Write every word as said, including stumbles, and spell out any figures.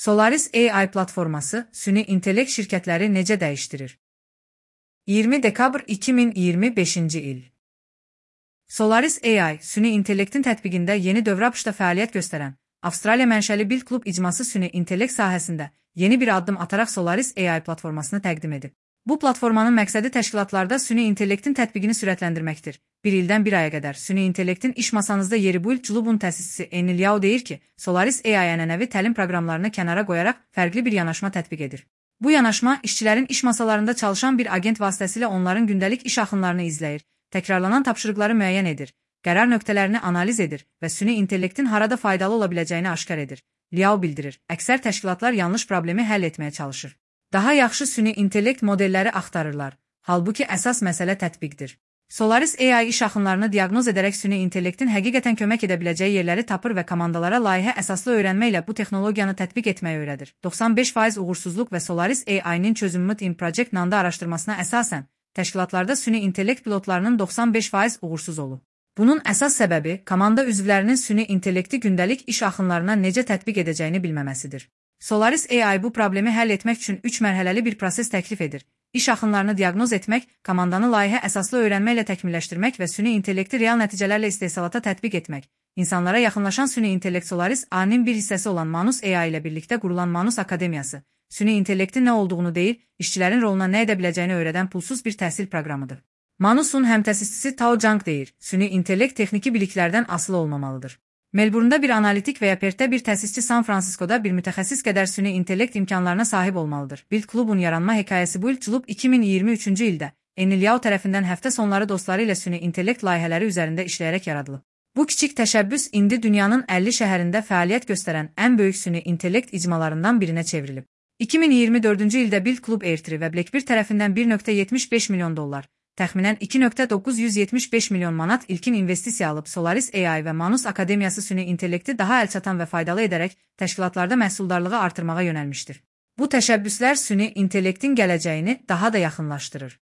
Solaris A I platforması süni intellekt şirkətləri necə dəyişdirir? iyirmi dekabr iki min iyirmi beşinci il. Solaris A I, süni intellektin tətbiqində yeni dövrə abışda fəaliyyət göstərən, Avstraliya mənşəli Build Club icması süni intellekt sahəsində yeni bir addım ataraq Solaris A I platformasını təqdim edib. Bu platformanın məqsədi təşkilatlarda süni intellektin tətbiqini sürətləndirməkdir. Bir ildən bir aya qədər süni intellektin iş masanızda yeri Build Club'un təsisçisi Enil Yao deyir ki, Solaris A I ənənəvi təlim proqramlarını kənara qoyaraq fərqli bir yanaşma tətbiq edir. Bu yanaşma, işçilərin iş masalarında çalışan bir agent vasitəsilə onların gündəlik iş axınlarını izləyir, təkrarlanan tapşırıqları müəyyən edir, qərar nöqtələrini analiz edir və süni intellektin harada faydalı ola biləcəyini aşkar edir. Liao bildirir, əksər təşkilatlar yanlış problemi həll etməyə çalışır. Daha yaxşı süni intellekt modelləri axtarırlar, halbuki əsas məsələ tətbiqdir. Solaris A I iş axınlarını diaqnoz edərək süni intellektin həqiqətən kömək edə biləcəyi yerləri tapır və komandalara layihə əsaslı öyrənmə ilə bu texnologiyanı tətbiq etməyi öyrədir. doxsan beş faiz uğursuzluq və Solaris A I-nin çözümü in Project Nanda araşdırmasına əsasən, təşkilatlarda süni intellekt pilotlarının doxsan beş faiz uğursuz olub. Bunun əsas səbəbi, komanda üzvlərinin süni intellekti gündəlik iş axınlarına necə tətbiq edəcəyini bilməməsidir. Solaris A I bu problemi həll etmək üçün üç mərhələli bir proses təklif edir. İş axınlarını diaqnoz etmək, komandanı layihə əsaslı öyrənmə ilə təkmilləşdirmək və süni intellekti real nəticələrlə istehsalata tətbiq etmək. İnsanlara yaxınlaşan süni intellekt Solaris A I-nin bir hissəsi olan Manus A I ilə birlikdə qurulan Manus Akademiyası, süni intellektin nə olduğunu deyil, işçilərin roluna nə edə biləcəyini öyrədən pulsuz bir təhsil proqramıdır. Manus'un həmtəsisçisi Tao Zhang deyir, süni intellekt texniki biliklərdən asılı olmamalıdır. Melbourne'da bir analitik və ya Perth'də bir təsisçi San Francisco'da bir mütəxəssis qədər süni intellekt imkanlarına sahib olmalıdır. Build Club'un yaranma hekayəsi Build Club iki min iyirmi üçüncü ildə Enil Yao tərəfindən həftə sonları dostları ilə süni intellekt layihələri üzərində işləyərək yaradılıb. Bu kiçik təşəbbüs indi dünyanın əlli şəhərində fəaliyyət göstərən ən böyük süni intellekt icmalarından birinə çevrilib. iki min iyirmi dördüncü ildə Build Club Airtree və Blackbird tərəfindən bir nöqtə yetmiş beş milyon dollar, təxminən iki nöqtə doqquz yüz yetmiş beş milyon manat ilkin investisiya alıb Solaris A I və Manus Akademiyası süni intellekti daha əlçatan və faydalı edərək təşkilatlarda məhsuldarlığı artırmağa yönəlmişdir. Bu təşəbbüslər süni intellektin gələcəyini daha da yaxınlaşdırır.